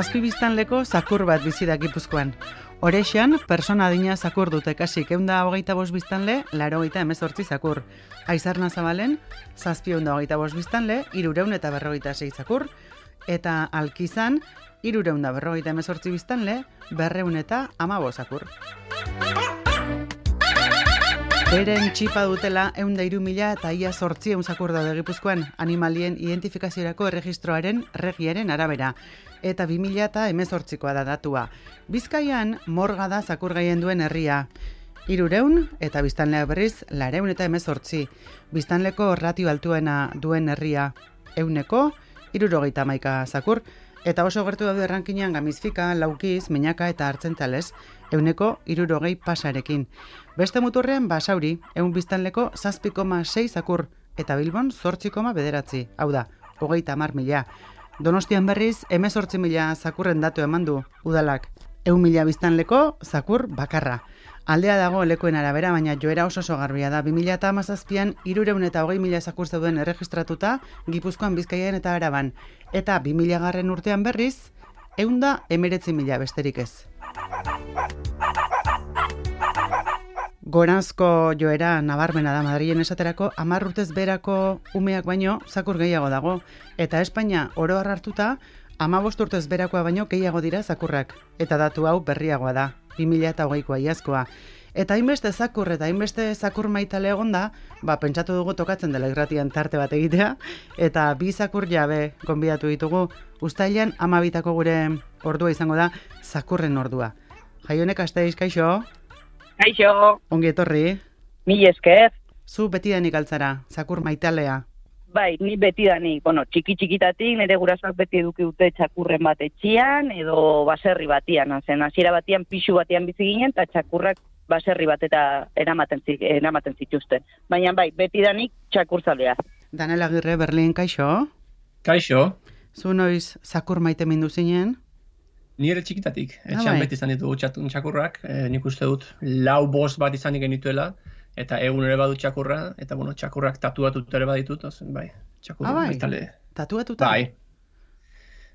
Zazpi biztanleko zakur bat bizi da Gipuzkoan. Orexan, persona adina zakur dute kasik 125 biztanle, 98 zakur. Aizarna Zabalen, 725 biztanle, 346 zakur. Eta Alkizan, 358 biztanle, 215 zakur. Beren txipa dutela 103.000 eta ia 800 zakur daude Gipuzkoan animalien identifikaziorako erregistroaren regiaren arabera. Eta 2018koa da datua. Bizkaian morga da zakur gehien duen herria. 300 eta biztanleak berriz 218. Biztanleko ratio altuena duen herria 171 zakur. Eta oso gertu daude errankinean Gamizfika, Laukiz, Meñaka eta Artzentzales 160 pasarekin. Beste muturrean Basauri 100 biztanleko 7,6 zakur eta Bilbon 8,9. Hau da, 30.000. Donostian berriz 18.000 zakurren datu eman du udalak. 100.000 biztanleko zakur bakarra. Aldea dago lekuen arabera, baina joera oso garbia da. 2017an 320.000 zakur zeuden erregistratuta Gipuzkoan, Bizkaian eta Araban. Eta 2000 urtean berriz 119.000 besterik ez. Goranzko joera nabarmena da Madrilen esaterako 10 urtez berako umeak baino zakur gehiago dago. Eta Espainia oro har hartuta 15 urtez berakoa baino gehiago dira zakurrak. Eta datu hau berriagoa da, 2020koa iazkoa. Eta hainbeste zakur eta hainbeste zakur maitale egonda, pentsatu dugu tokatzen dela irratian tarte bat egitea, eta 2 zakur jabe gonbidatu ditugu. Uztailean 12ko gure ordua izango da zakurren ordua. Jaionek Asteiz, kaixo? Kaixo. Ongi etorri. Mil esker. Zu betidanik altzara, zakur maitalea. Bai, ni betidanik, txiki-txikitatik nire gurasoak beti eduki dute txakurren bat etxian edo baserri batian. Hasiera batian, pixu batian bizi ginen, eta txakurrak baserri bat eta eramaten zituzten. Baina bai, betidanik txakurzalea. Daniel Agirre, Berlin, kaixo? Kaixo. Zu noiz zakur maite mindu zinen? Nire txikitatik. Etxean beti izan ditugu txakurrak. Nik uste dut 4-5 bat izanik genituela. Eta egun ere badut txakurra, eta txakurrak tatuatuta ere baditut, bai, txakurra baitale. Tatuatuta?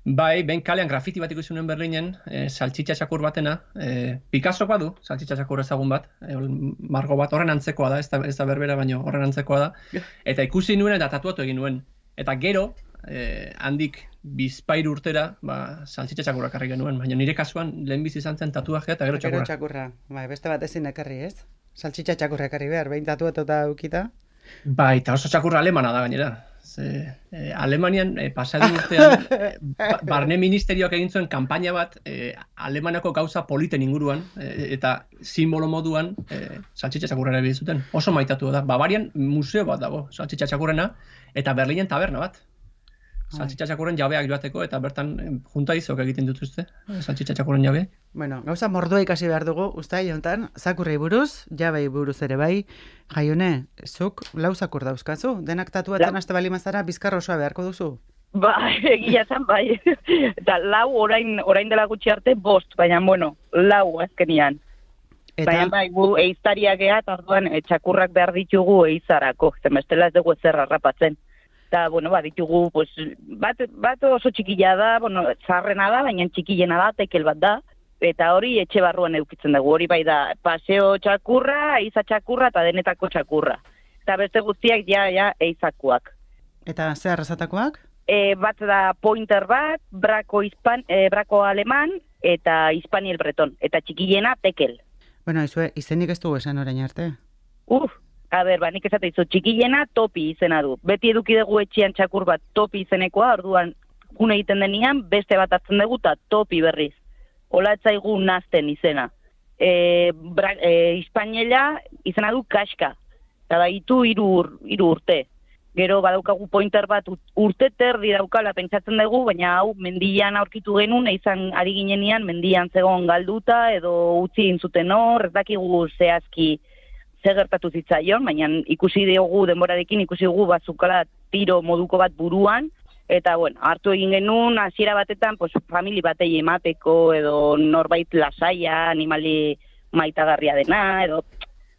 Bai, ben kalean grafiti bat ikusunen Berlinen, saltxitxa txakur batena, Picasso badu, saltxitxa txakur ezagun bat, margo bat, horren antzekoa da, ez da berbera, baino horren antzekoa da, eta ikusi nuen eta tatuatu egin nuen. Eta gero, handik 2 urtera, saltxitxa txakurrak karri genuen, baina nire kasuan lehenbizi izan zen tatuajea eta gero txakurra. Gero txakurra, bai, beste bat ezin ekarri ez? Saltxitxa txakurra ekarri behar, behin tatuatuta ukita? Bai, eta oso txakurra alemana da gainera. Alemanian pasadun urtean barne ministerioak egin zuen kanpaina bat Alemanako gauza politen inguruan eta simbolo moduan saltxitxa txakurra ere zuten. Oso maitatu da. Bavarian museo bat dago saltxitxa txakurrena eta Berlinen taberna bat. Saltxitxa txakurren jabeak joateko eta bertan junta izok egiten dituzte saltxitxa txakurren jabeak. Bueno, gauza mordua ikasi behar dugu, uztai honetan, zakurrei buruz, jabei buruz ere bai. Jaione, zuk 4 zakur dauzkazu? Denak tatuatzen haste bali mazara, bizkar osoa beharko duzu? Bai, egia zen bai. Eta 4 orain dela gutxi arte 5, baina 4 azkenian. Baina bai, gu eiztariak ea, tarduan txakurrak behar ditugu eizarako, zenbestela ez dugu ezer harrapatzen. Eta, ditugu, bat oso txikila da, zarrena da, baina txikilena da, tekel bat da, eta hori etxe barruan edukitzen dugu. Hori bai da, paseo txakurra, eiza txakurra eta denetako txakurra. Eta beste guztiak ja eizakoak. Eta ze arrazatakoak? Bat da pointer bat, brako aleman eta hispaniel breton. Eta txikilena tekel. Bueno, izenik ez dugu esan orain arte. Nik esate izu, txikilena topi izena du. Beti eduki dugu etxean txakur bat topi izenekoa, orduan june egiten denian, beste bat hartzen dugu eta topi berriz. Ola etzaigu nazten izena. Hispaniela izena du kaska. Eta da, itu 3 urte. Gero badaukagu pointer bat urte terdi daukala pentsatzen dugu, baina hau mendian aurkitu genuen, izan ari ginenean mendian zegoen galduta edo utzi egin zuten hor, ez dakigu zehazki gertatu zitzaion, baina ikusi dugu denborarekin, ikusi dugu bazukala tiro moduko bat buruan, eta hartu egin genuen, hasiera batetan, famili batei emateko, edo norbait lasaia, animali maitagarria dena, edo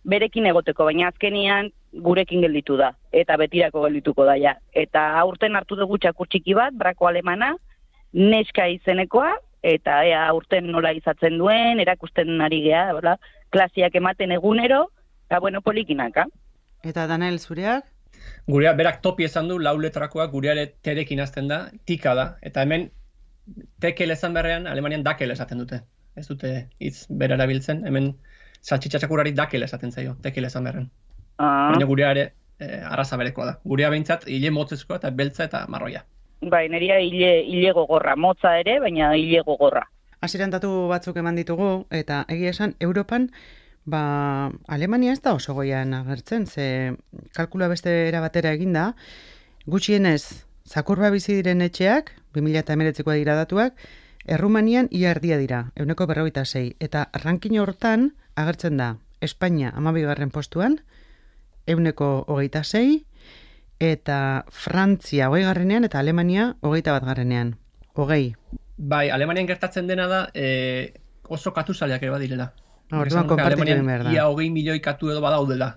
berekin egoteko, baina azkenian gurekin gelditu da, eta betirako geldituko da, ja. Eta aurten hartu dugu txakur txiki bat, brako alemana, neska izenekoa, eta ea urten nola izatzen duen, erakusten ari gea, bera, klasiak ematen egunero, eta bueno, polikinaka. Eta Daniel, zureak? Gurea, berak topi esan du, 4 letrakoak, gureare terekin hasten da, tika da, eta hemen tekel esan berrean, Alemanian dakel esaten dute. Ez dute hitz bera erabiltzen, hemen saltxitxa txakurrari dakel esaten zaio, tekel esan berrean. Baina gureare arraza berekoa da. Gurea behintzat, hile motzezkoa eta beltza eta marroia. Bai, neria hile gogorra, motza ere, baina hile gogorra. Hasieran datu batzuk eman ditugu, eta egia esan, Europan, Alemania ez da oso goian agertzen, ze kalkula beste era batera eginda, gutxienez, zakurba bizi diren etxeak, 2019koa dira datuak, Errumanian ia erdia dira, 156, eta ranking hortan agertzen da, Espainia 12. postuan, 126, eta Frantzia 20. eta Alemania 21. 20. Bai, Alemanian gertatzen dena da oso katuzaleak ere badirela. Orduan konpartitu egin behar da. Ia 20 milioi katu edo badaudela.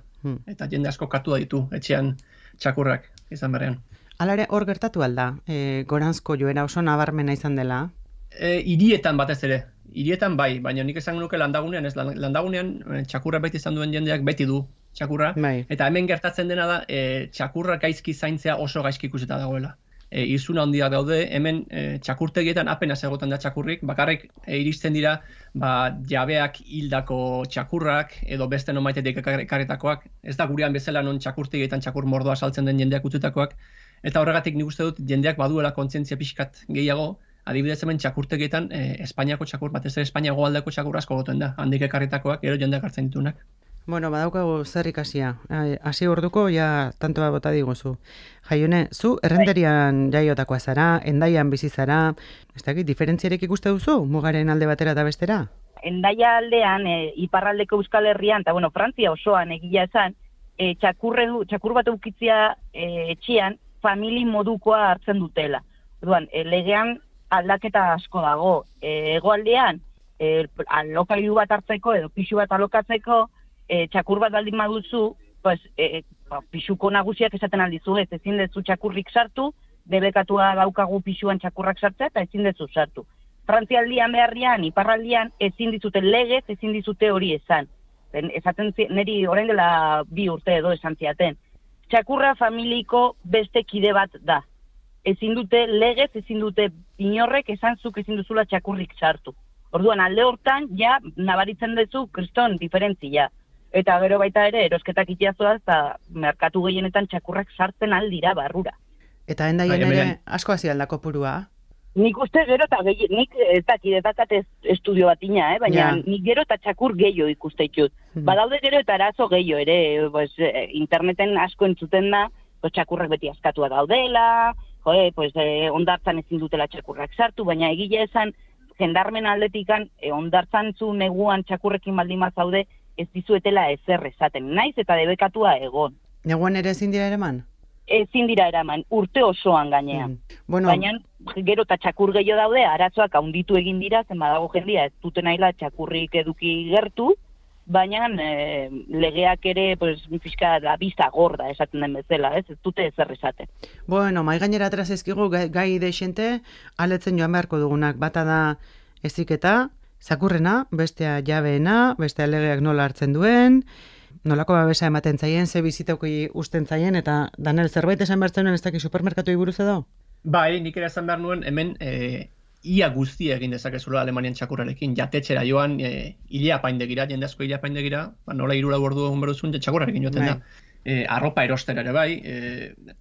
Eta jende asko katua ditu, etxean txakurrak izan berrean. Hala ere, hor gertatu alda, goranzko joera oso nabarmena izan dela? Hirietan batez ere. Hirietan bai, baina nik esan nuke landagunean, ez landagunean txakurra beti izan duen jendeak beti du txakurra. Bai. Eta hemen gertatzen dena da, txakurra gaizki zaintzea oso gaizki ikusita dagoela. Izuna handiak daude, hemen txakurtegietan apenas egoten da txakurrik, bakarrik iristen dira jabeak hildako txakurrak edo beste nomaitetik ekarretakoak, ez da gurean bezala non txakurtegietan txakur mordoa saltzen den jendeak utzitakoak, eta horregatik nik uste dut jendeak baduela kontzientzia pixkat gehiago, adibidez hemen txakurtegietan Espainiako txakur, batez ere Espainiako aldeko txakur asko goten da, handik ekarretakoak, gero jendeak hartzen ditunak. Bueno, badaukagu zer ikasia. Hasi orduko, ja, tantoa bota diguzu. Jaione, zu errenderian jaiotakoa zara, Hendaian bizi zara, ez dakit, diferentziarek ikuste duzu, mugaren alde batera eta bestera? Hendaia aldean, iparraldeko Euskal Herrian, eta bueno, Frantzia osoan egia esan, txakur bat eukitzia etxean, famili modukoa hartzen dutela. Orduan, legean aldaketa asko dago. Hegoaldean, alokailu bat hartzeko edo pisu bat alokatzeko, txakur bat baldin baduzu, pues, pisuko nagusiak esaten aldizu, ezin dezu txakurrik sartu, debekatua daukagu pisuan txakurrak sartzea eta ezin dezu sartu. Frantzialdian beharrian, iparraldian, ezin dizute legez, ezin dizute hori esan. Esaten niri orain dela 2 urte edo esan ziaten. Txakurra familiko beste kide bat da. Ezin dute legez, ezin dute inorrek esan zuk ezin duzula txakurrik sartu. Orduan alde hortan, ja, nabaritzen duzu kriston diferentzia. Eta gero baita ere, erosketak itiazoaz, eta merkatu gehienetan txakurrak sartzen aldira barrura. Eta Hendaian ere asko hasi aldako purua? Nik uste gero eta nik edakat estudio bat ina, baina nik gero eta txakur gehiago ikuste ditut. Badaude gero eta arazo gehiago ere, interneten asko entzuten da, txakurrak beti askatua daudela, ondartzan ezin dutela txakurrak sartu, baina egile esan, jendarmen aldetikan, ondartzan zu neguan txakurrekin baldin zaude, ez dizuetela ezer esaten, naiz eta debekatua egon. Neguan ere ezin dira eraman? Ezin dira eraman, urte osoan gainean. Bueno, baina gero eta txakur gehiago daude, arazoak handitu egin dira, zen badago jendia ez duten naila txakurrik eduki gertu, baina legeak ere fiska da bizta gorda esaten den bezala, ez dute ezer esaten. Bueno, mai gainera atraz ezkigu gai deixente, aletzen joan beharko dugunak, bata da eziketa, zakurrena, bestea jabeena, bestea legeak nola hartzen duen, nolako babesa ematen zaien, ze bizitauki usten zaien, eta Daniel, zerbait esan behar zenuen ez daki supermerkatu buruz edo? Bai, nik ere esan behar nuen, hemen ia guztia egin dezakezula Alemanian txakurrarekin, jatetxera joan, ile apaindegira, jende asko ile apaindegira, nola 3 ordu egun beruzun, txakurrarekin joten da. Arropa erostera ere bai,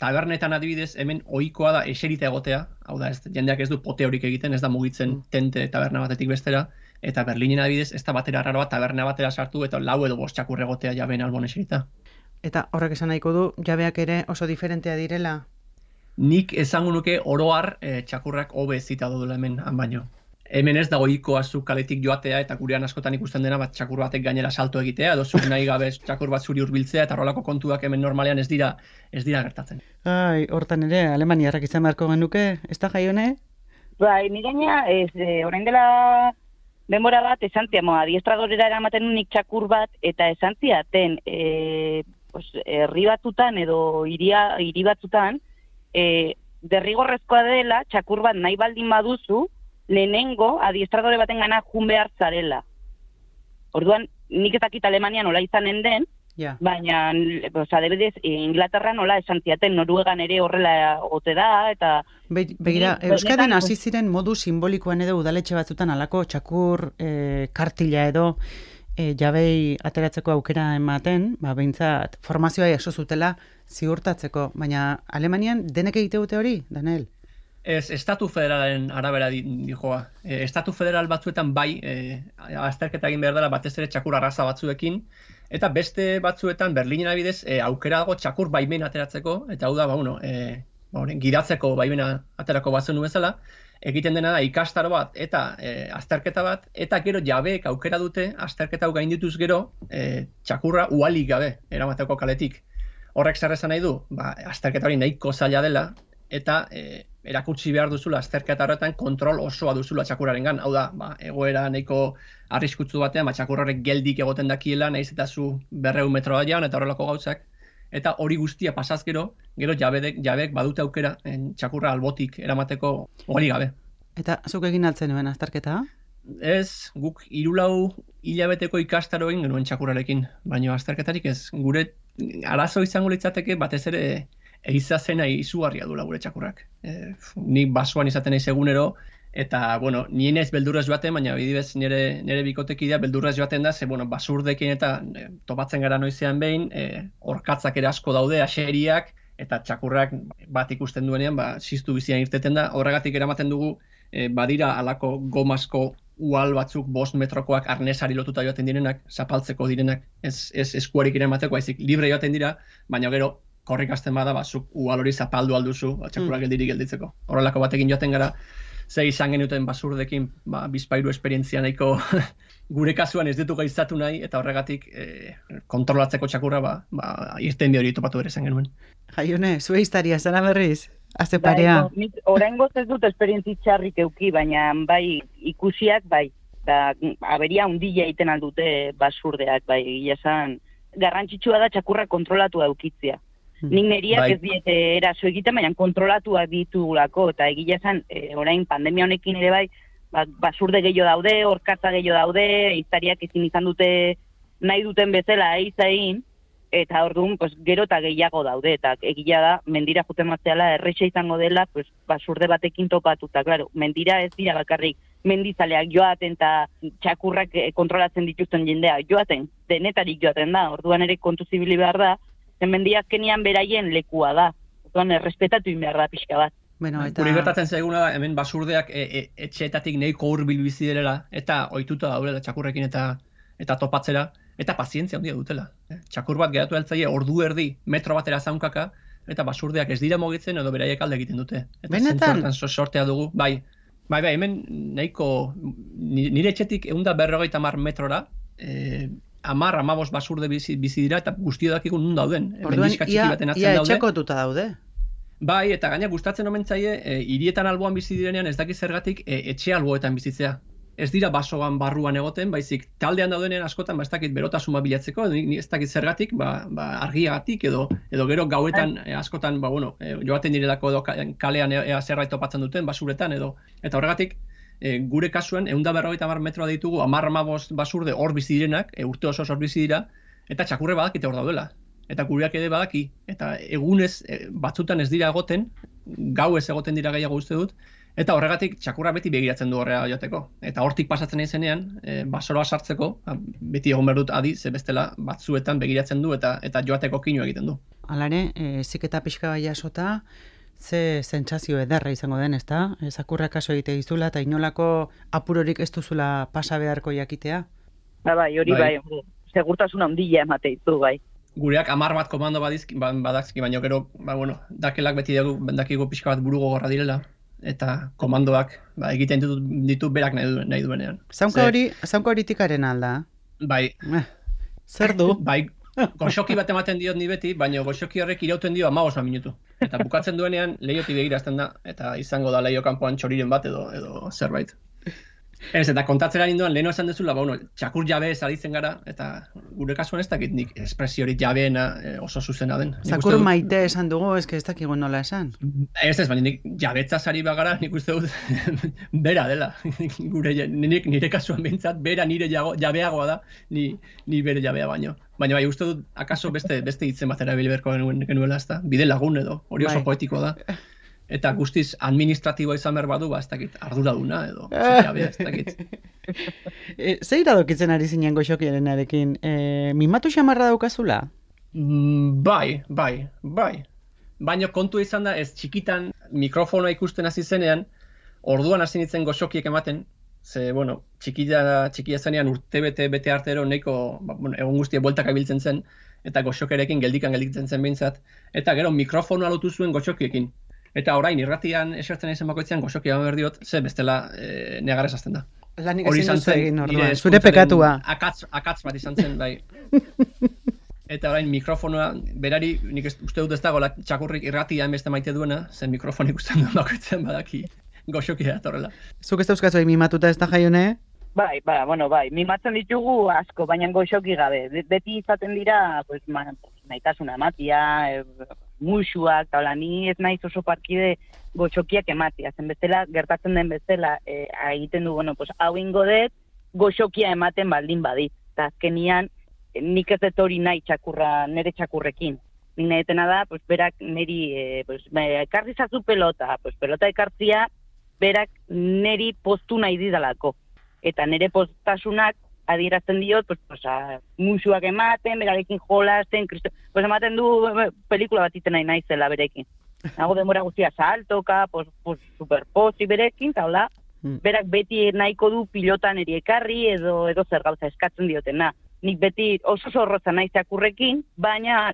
tabernetan adibidez, hemen ohikoa da eserita egotea, hau da, jendeak ez du pote horik egiten, ez da mugitzen tente taberna batetik bestera, eta Berlinen adibidez, ez da batera arraroa taberna batera sartu, eta 4 edo 5 txakur egotea jabeen albon eserita. Eta horrek esan nahiko du, jabeak ere oso diferentea direla? Nik esango nuke oroar txakurrak hobe zita dudula hemen han baino. Hemen ez dago ohikoa zuk kaletik joatea eta gurean askotan ikusten dena bat txakur batek gainera salto egitea edo zuk nahi gabe txakur bat zuri hurbiltzea eta horrelako kontuak hemen normalean ez dira gertatzen. Ai, hortan ere Alemaniarrak izan beharko genuke, ez da Jaione? Bai, ni gaina orain dela denbora bat esan ziamo adiestradorera eramaten unik txakur bat eta esan ziaten herri batzutan edo hiri batzutan derrigorrezkoa dela txakur bat nahi baldin baduzu lehenengo adiestradore baten gana jun behar zarela. Orduan, nik ez dakit Alemania nola izanen den, baina, adibidez, Inglaterra nola esan ziaten, Noruegan ere horrela ote da, eta... Begira, Euskadin hasi ziren modu simbolikoan edo udaletxe batzutan alako txakur kartila edo jabei ateratzeko aukera ematen, behintzat formazioa jaso zutela ziurtatzeko, baina Alemanian denek egite dute hori, Daniel? Ez, estatu federalen arabera dijoa. Estatu federal batzuetan bai, azterketa egin behar dela batez ere txakur arraza batzuekin, eta beste batzuetan Berlinen adibidez aukera dago txakur baimen ateratzeko, eta hau da, giratzeko baimena aterako bazen bezala, egiten dena da ikastaro bat eta azterketa bat, eta gero jabeek aukera dute azterketa hau gaindituz gero txakurra ualik gabe eramateko kaletik. Horrek zer esan nahi du? Azterketa hori nahiko zaila dela, eta erakutsi behar duzula azterketa horretan kontrol osoa duzula txakurrarengan. Hau da, egoera nahiko arriskutsu batean, txakurrarek geldik egoten dakiela, nahiz eta zu 200 metroa jaun eta horrelako gauzak. Eta hori guztia pasaz gero jabeek badute aukera txakurra albotik eramateko hori gabe. Eta zuk egin altzen nuen azterketa? Ez, guk 3-4 hilabeteko ikastaro egin genuen txakurrarekin, baina azterketarik ez. Gure arazo izango litzateke batez ere eizazena izugarria duela gure txakurrak. Ni basoan izaten naiz egunero, eta, nien ez beldurrez joaten, baina bidibez nire bikotekidea beldurrez joaten da, basurdekin eta topatzen gara noizean behin, orkatzak ere asko daude, aseriak, eta txakurrak bat ikusten duenean, ziztu bizian irteten da, horregatik eramaten dugu, badira alako gomasko ual batzuk 5 metrokoak arnesari lotuta joaten direnak, zapaltzeko direnak, ez eskuarik eramateko, haizik libre joaten dira, baina gero, korrik hasten bada, zuk ual hori zapaldu alduzu, txakurrak geldirik gelditzeko. Horrelako batekin joaten gara, ze izan genuten basurdekin, bizpairu esperientzia nahiko gure kasuan ez ditu gaizatu nahi, eta horregatik kontrolatzeko txakurra, irten hori topatu ere izan genuen. Jaione, zue historia, zara berriz? Aze parea? Oraingoz ez dut esperientzi txarrik euki, baina bai ikusiak, bai, aberia hundila egiten aldute basurdeak, bai, egia esan, garrantzitsua da txakurra kontrolatu eukitzea. Nik neriak ez diete eraso egiten, baina kontrolatuak ditugulako, eta egia esan, orain pandemia honekin ere bai, basurde gehiago daude, orkatza gehiago daude, iztariak ezin izan dute nahi duten bezala eizain, eta orduan gero eta gehiago daude, eta egia da, mendira juten matzeala, erreixa izango dela, basurde batekin topatuta, claro, mendira ez dira bakarrik, mendizaleak joaten eta txakurrak kontrolatzen dituzten jendea joaten, denetarik joaten da, orduan ere kontu zibili behar da, mendia azkenian beraien lekua da. Orduan, errespetatu behar da pixka bat. Guri gertatzen zaiguna da, hemen basurdeak etxeetatik nahiko hurbil bizi direla, eta ohituta daudela txakurrekin eta topatzera, eta pazientzia handia dutela. Txakur bat geratu altzaile ordu erdi metro batera zaunkaka, eta basurdeak ez dira mugitzen edo beraiek alde egiten dute. Benetan? Sortea dugu, bai, hemen nahiko, nire etxetik 150 metrora, 10-15 basurde bizi dira eta guztio dakiko nun dauden. Orduan, ia etxekotuta daude. Bai, eta gaina gustatzen omen zaie, hirietan alboan bizi direnean ez dakit zergatik etxe alboetan bizitzea. Ez dira basoan barruan egoten, baizik taldean daudenean askotan ez dakit berotasuna bilatzeko, ez dakit zergatik, argiagatik edo gero gauetan askotan, joaten direlako edo kalean zerbait topatzen duten basuretan edo, eta horregatik gure kasuan 150 metroa ditugu 10-15 basurde hor bizi direnak, urte oso hor bizi dira, eta txakurre badakite hor daudela. Eta gureak ere badaki, eta egunez batzutan ez dira egoten, gauez egoten dira gehiago uste dut, eta horregatik txakurra beti begiratzen du horrea joateko. Eta hortik pasatzen naizenean, basoroa sartzeko, beti egon behar dut adi, ze bestela batzuetan begiratzen du eta joateko kinu egiten du. Halare, ziketa pixka bai jasota, ze sentsazio ederra izango den, ezta? Zakurra kaso egite dizula eta inolako apurorik ez duzula pasa beharko jakitea? Bai, hori bai, segurtasuna handia emate ditu, bai. Gureak 10 bat komando badazki, baina gero, dakelak beti dakigu pixka bat buru gogorra direla, eta komandoak egiten ditu berak nahi duenean. Zaunka hori tikaren alda? Bai. Zer du? Bai, goxoki bat ematen diot ni beti, baina goxoki horrek irauten dio 15 minutu. Eta bukatzen duenean lehioti begirazten da, eta izango da lehio kanpoan txoriren bat edo zerbait. Ez, eta kontatzera ninduan, leheno esan dezula, txakur jabe ez aritzen gara, eta gure kasuan ez dakit nik espresiorik jabeena oso zuzena den. Zakur maite esan dugu, ez dakigu nola esan. Ez, baina nik jabetzaz ari bagara, nik uste dut, bera dela. Nire kasuan behintzat, bera nire jabeagoa da, ni bere jabea baino. Baina bai, uste dut, akaso beste hitzen bat erabili beharko genuela, ez da? Bide lagun edo, hori oso poetikoa da. Eta guztiz administratiboa izan behar badu, ez dakit, arduraduna edo, jabea, ez dakit. Zer iradokitzen ari zinen Goxokierenarekin? Mimatu xamarra daukazula? Bai. Baina kontu izan da, ez txikitan mikrofonoa ikusten hasi zenean, orduan hasi nintzen Goxokiek ematen, ze, txikia zenean bete artero nahiko, egon guztia bueltak abiltzen zen, eta Goxokerekin gelditzen zen behintzat, eta gero mikrofonoa lotu zuen Goxokiekin. Eta orain irratian esertzen izen bakoitzean Goxokia behar diot, ze bestela negarrez azten da. Lanik ezin duzu egin orduan, zure pekatua. Akatz bat izan zen, bai. Eta orain mikrofonoa, berari, nik uste dut ez dagoela txakurrik irratia beste maite duena, zen mikrofonik usten duen bakoitzean badaki Goxokia etorrela. Zuk ez dauzkazu mimatuta ez da, Jaione? Bai, mimatzen ditugu asko, baina Goxoki gabe. Beti izaten dira, nahitasuna ematia, musuak, eta ni ez naiz oso parkide Goxokiak ematia. Zen bezala, gertatzen den bezala, egiten du, hau ingo dut, Goxokia ematen baldin badit. Eta azkenian, nik ez dut hori nahi nire txakurrekin. Nik nahi etena da, berak niri, ekarri zazu pelota, pelota ekartzia, berak niri postu nahi didalako. Eta nire postasunak adierazten diot, musuak ematen, berarekin jolasten, ematen du pelikula bat iten nahi naizela berekin. Nago denbora guztia saltoka, superposi berekin, eta hola, berak beti nahiko du pilotan eri ekarri edo zer gauza eskatzen diotena. Nik beti oso zorrotza naiz txakurrekin, baina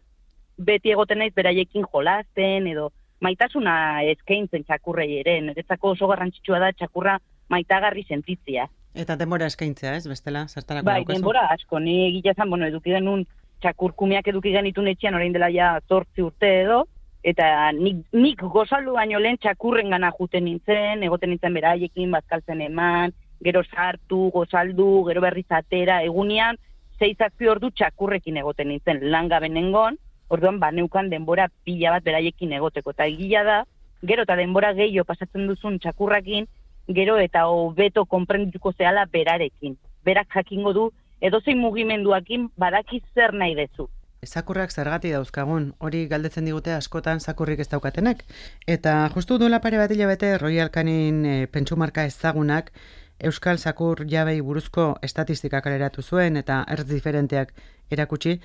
beti egoten naiz beraiekin jolasten edo maitasuna eskaintzen txakurrei ere. Niretzako oso garrantzitsua da txakurra maitagarri sentitzia. Eta denbora eskaintzea, ez, bestela, zertarako daukazu? Bai, denbora asko, ni egila zan, eduki genuen txakurkumiak eduki genitun etxean orain dela ja 8 urte edo, eta nik gozaldu baino lehen txakurren gana juten nintzen, egoten nintzen beraiekin, bazkaltzen eman, gero sartu, gozaldu, gero berriz atera, egunean, 6-7 ordu txakurrekin egoten nintzen, langabe nengon, orduan neukan denbora pila bat beraiekin egoteko, eta egila da, gero eta denbora gehiago pasatzen duzun txakurrakin, gero eta hobeto konprendituko zehala berarekin. Berak jakingo du, edozein mugimenduakin badaki zer nahi dezu. Zakurrak zergati dauzkagun, hori galdetzen digute askotan zakurrik ez daukatenek. Eta justu duela pare bat hilabete Royal Canin pentsumarka ezagunak Euskal Zakur jabei buruzko estatistikak kaleratu zuen eta ertz diferenteak erakutsi.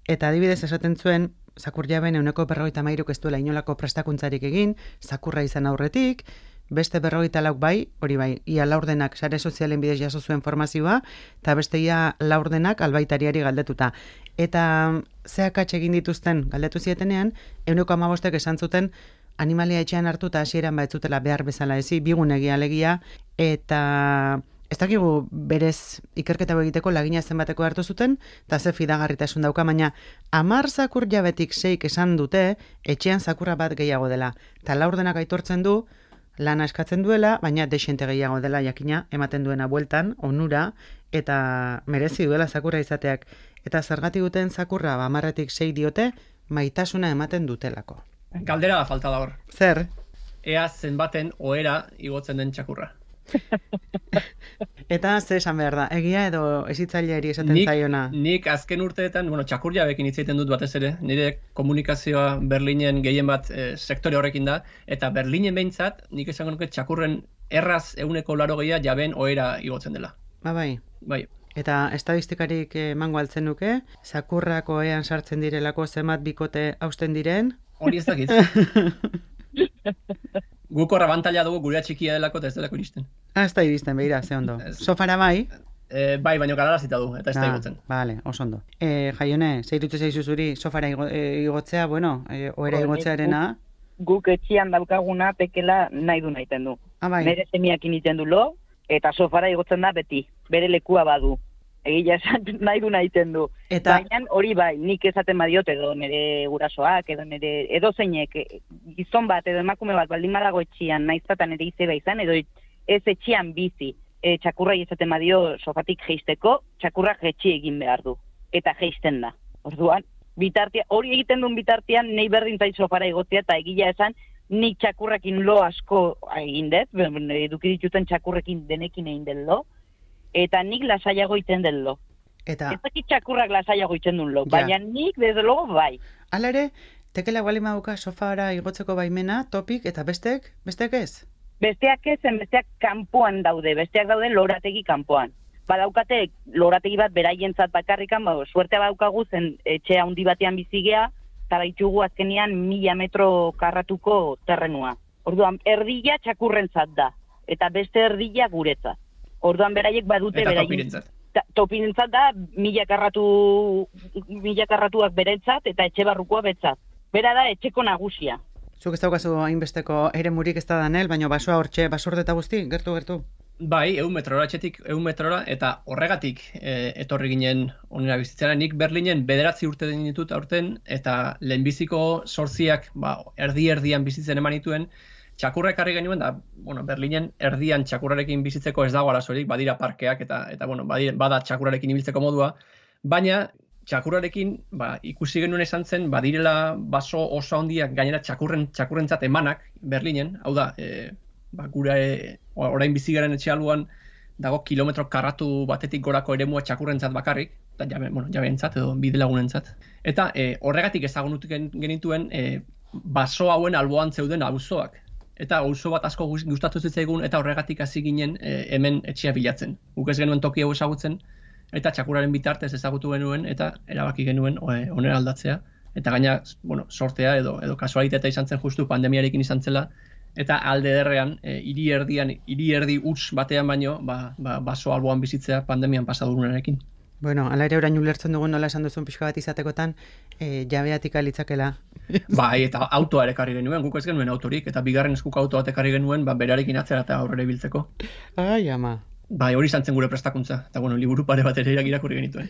Eta adibidez esaten zuen, zakur jaben 53% ez duela inolako prestakuntzarik egin, zakurra izan aurretik, beste 44 bai, hori bai, ia laurdenak sare sozialen bidez jaso zuen formazioa, eta beste ia laurdenak albaitariari galdetuta. Eta zeakatxe egin dituzten galdetu zietenean, 15% esan zuten animalia etxean hartu eta hasieran baitzutela behar bezala ezi, bigunegia alegia, eta ez dakigu berez ikerketa egiteko lagina zenbateko hartu zuten, eta ze fidagarritasun dauka, baina 10 zakur jabetik 6 esan dute etxean zakurra bat gehiago dela. Eta laurdenak aitortzen du, lana eskatzen duela, baina desente gehiago dela jakina ematen duena bueltan, onura, eta merezi duela zakurra izateak. Eta zergatik duten zakurra 10-tik 6 diote, maitasuna ematen dutelako. Galdera da falta da hor. Zer? Ea zenbaten ohera igotzen den txakurra. Eta ze esan behar da, egia edo ezitzaileari esaten zaiona? Nik azken urteetan, txakur jabekin hitz egiten dut batez ere, nire komunikazioa Berlinen gehien bat sektore horrekin da, eta Berlinen behintzat, nik esango nuke txakurren erraz 80% jabeen ohera igotzen dela. Bai. Bai. Eta estadistikarik emango altzen nuke, zakurrak ohean sartzen direlako zenbat bikote hausten diren? Hori ez dakit. Guk horra bantaila dugu gurea txikia delako eta ez delako iristen. Ez da iristen, behira, ze ondo. Sofara bai? Bai, baino galarazita du, eta ez da igotzen. Bale, oso ondo. Jaione, zeirutze zaizu zuri sofara igotzea, ohera igotzearena? Guk etxian daukaguna pekela nahi du nahiten du. Bai. Nere semiakin iten du lo, eta sofara igotzen da beti, bere lekua badu. Egia esan nahi du nahiten du. Baina hori bai, nik esaten badiot edo nire gurasoak, edo zeinek, gizon bat edo emakume bat baldin badago etxian, naiztatan ere izeba izan, edo ez etxian bizi. txakurrai ezaten badio sofatik jeisteko, txakurrak jetxi egin behar du. Eta jeisten da. Orduan, hori egiten duen bitartean, nahi berdin zait sofara egotea, eta egila esan, nik txakurrekin lo asko egin dut, eduki dituten txakurrekin denekin egin den lo, eta nik lasaiago iten den lo. Eta... Ez dakit txakurrak lasaiago iten duen lo, baina nik, desde logo, bai. Hala ere, tekela bali maduka sofara igotzeko baimena, topik, eta bestek ez? Besteak ezen, besteak kanpoan daude, besteak daude lorategi kanpoan. Badaukate lorategi bat beraientzat bakarrikan, suertea badaukagu zen etxe handi batean bizigea, eta baitugu azkenian 1000 metro karratuko terrenua. Orduan, erdia txakurrentzat da, eta beste erdia guretzat. Orduan, beraiek badute beraien... Topirentzat da, 1000 karratuak berentzat, eta etxe barrukoa betzat. Bera da, etxeko nagusia. Zuk ez daukazu hainbesteko eremurik ez da danel, baina basoa hortxe, basurde eta guzti, gertu. Bai, 100 metrora, etxetik 100 metrora, eta horregatik etorri ginen onera bizitzera. Nik Berlinen 9 urte ditut aurten, eta lehenbiziko 8 erdi-erdian bizitzen eman dituen, txakurra ekarri genuen, da, Berlinen erdian txakurrarekin bizitzeko ez dago arazorik, badira parkeak, eta bada txakurrarekin ibiltzeko modua, baina txakurrarekin ikusi genuen esan zen, badirela baso oso handiak gainera txakurrentzat emanak Berlinen, hau da, gure orain bizigaren etxe aluan dago kilometro karratu batetik gorako eremua txakurrentzat bakarrik, eta jabeentzat edo bidelagunentzat. Eta horregatik ezagunutu genituen baso hauen alboan zeuden auzoak. Eta auzo bat asko gustatu zitzaigun eta horregatik hasi ginen hemen etxea bilatzen. Guk ez genuen toki hau ezagutzen, eta txakurraren bitartez ezagutu genuen eta erabaki genuen onera aldatzea. Eta gaina, sortea edo kasualitatea izan zen justu pandemiarekin izan zela, eta alde derrean, hiri erdi huts batean baino, baso alboan bizitzea pandemian pasadurunarekin. Bueno, ala ere orain ulertzen dugun nola esan duzun pixka bat izatekotan, jabeatik alitzakela. Bai, eta autoa ere ekarri genuen, guk ez genuen autorik, eta bigarren eskuko auto bat ekarri genuen, berarekin atzera eta aurrera ibiltzeko. Ai, ama. Bai, hori izan zen gure prestakuntza, eta liburu pare bat ere irakurri genituen.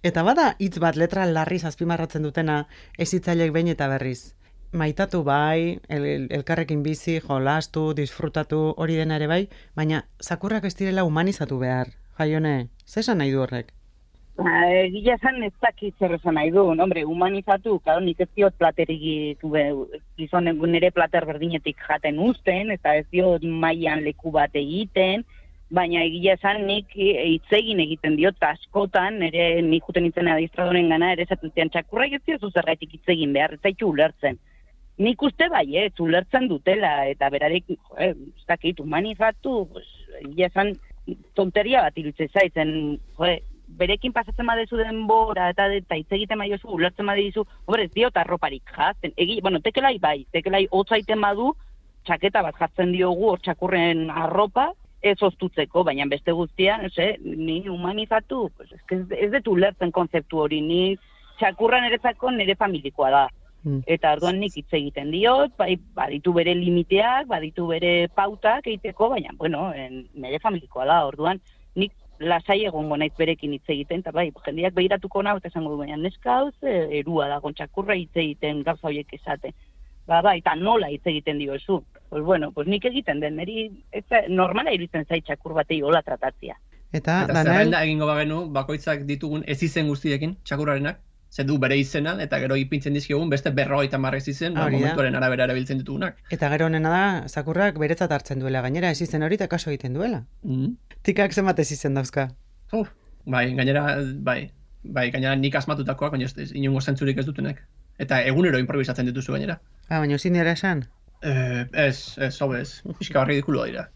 Eta bada hitz bat letra larriz azpimarratzen dutena, ezitzailek behin eta berriz. Maitatu bai, elkarrekin bizi, jolastu, disfrutatu, hori dena ere bai, baina zakurrak ez direla humanizatu behar. Jaione, zesan nahi du horrek? Egia esan ez dakit zer esan nahi du, humanizatu, nik ez diot platerik gizonen nire plater berdinetik jaten uzten, eta ez diot mailan leku bat egiten, baina egia esan nik hitzegin egiten diot askotan, nik juten itzen adistradoren gana, ere esaten zian txakurra ez diozu zergaitik hitzegin behar, ez zaitu ulertzen. Nik uste bai, ulertzen dutela, eta berarek, ez dakit, humanizatu, egia esan tonteria bat irutzen zaitzen, berekin pasatzen badezu denbora, eta hitz egiten badiozu, ulertzen badizu, ez diot arroparik jazten, tekelai hotzaiten badu, txaketa bat jartzen diogu hor txakurren arropa, ez oztutzeko, baina beste guztian, ni humanizatu, ez dut ulertzen konzeptu hori, ni txakurran eretzako nire familikoa da. Eta orduan nik hitz egiten diot, baditu bere limiteak, baditu bere pautak egiteko, baina, nire familikoa da, orduan nik lasai egongo naiz berekin hitz egiten, eta jendeak behiratuko nahu, eta esango du, baina neska hau erua da, txakurra hitz egiten, gauza horiek esate. Eta nola hitz egiten diozu. Pues nik egiten den, normala iruditzen zait txakur batei hola tratatzia. Eta zerrenda egingo bagenu, bakoitzak ditugun ez izen guztiekin, txakurrarenak, ze du bere izena, eta gero ipintzen dizkiogun beste 50 ez izen, momentuaren arabera erabiltzen ditugunak. Eta gero honena da, zakurrak beretzat hartzen duela, gainera ez izen hori eta kaso egiten duela. Tikak zenbat ez izen dauzka? Gainera nik asmatutakoak, baina inongo zentzurik ez dutenek. Eta egunero improvisatzen dituzu gainera. Baina zin dira esan? Ez, pixka ridikuloa dira.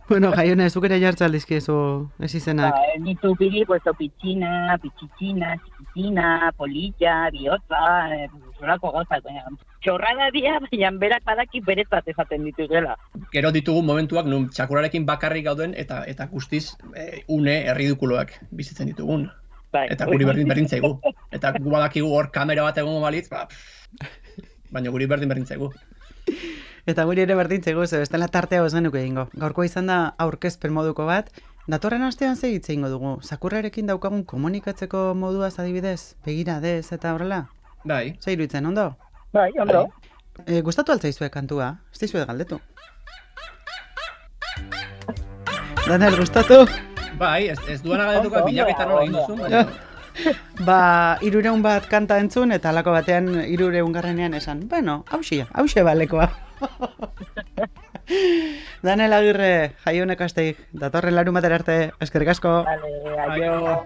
Bueno, Jaione, zuk ere jartza aldizkiezu ez izenak. Ditu pili, pitxina, txikitina, polilla, bihotza, zorako gozak, baina txorrada dia, baina berak badaki beretzat ezaten ditugela. Gero ditugu momentuak nun txakurrarekin bakarrik gauden eta guztiz une erridikuloak bizitzen ditugun. Eta guri berdin zaigu. Eta gu badakigu hor kamera bat egongo balitz, baina guri berdin zaigu. Eta guri ere berdin zaigu, bestela tartea ez genuke egingo. Gaurkoa izan da aurkezpen moduko bat. Datorren astean ze hitz egingo dugu? Zakurrarekin daukagun komunikatzeko moduaz adibidez? Begiradez eta horrela? Bai. Ze iruditzen, ondo? Bai, ondo. Gustatu altzaizue kantua? Ez dizuet galdetu. Daniel, gustatu? Bai, ez duana galdetuko bilaketan hori egin duzu, baina... 300 bat kanta entzun, eta alako batean 300garrenean esan, bueno, hause balekoa. Daniel Agirre, jaionek asteik, datorren larunbatera arte, eskerrik asko. Vale, aio.